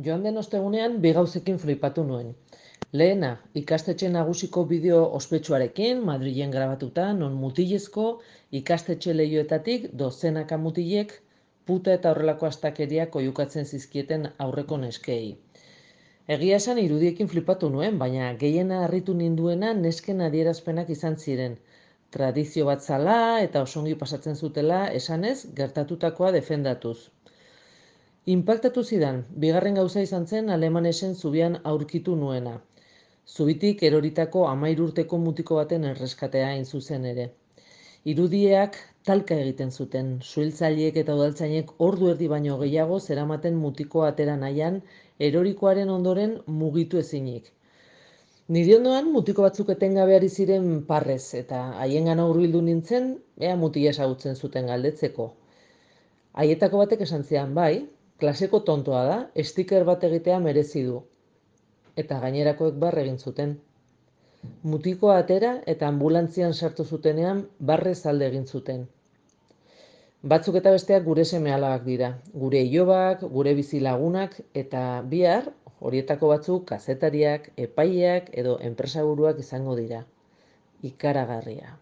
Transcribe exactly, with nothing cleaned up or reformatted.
Joan den ostegunean bi gauzekin flipatu nuen. Lehena, ikastetxe nagusiko bideo ospetsuarekin, Madrilen grabatuta, non mutilezko ikastetxe leihoetatik dozenaka mutilek puta eta horrelako astakeriak oihukatzen zizkieten aurreko neskei. Egia esan irudiekin flipatu nuen, baina gehiena harritu ninduena nesken adierazpenak izan ziren. Tradizio bat zala eta osongi pasatzen zutela esanez gertatutakoa defendatuz. Inpaktatu zidan, bigarren gauza izan zen Alemanesen zubian aurkitu nuena. Zubitik eroritako hamahiru urteko mutiko baten erreskatea hain zuzen ere. Irudiak talka egiten zuten, suhiltzaileek eta udaltzainek ordu erdi baino gehiago zeramaten mutikoa atera nahian erorikoaren ondoren mugitu ezinik. Nire ondoan mutiko batzuk etengabe ari ziren parrez eta haiengana hurbildu nintzen, ea mutila ezagutzen zuten galdetzeko. Haietako batek esan zidan, bai, klaseko tontoa da, sticker bat egitea merezi du. Eta gainerakoek barre egin zuten. Mutikoa atera eta ambulantzian sartu zutenean barrez alde egin zuten. Batzuk eta besteak gure seme-alabak dira, gure ilobak, gure bizilagunak eta bihar horietako batzuk kazetariak, epaileak edo enpresaburuak izango dira. Ikaragarria.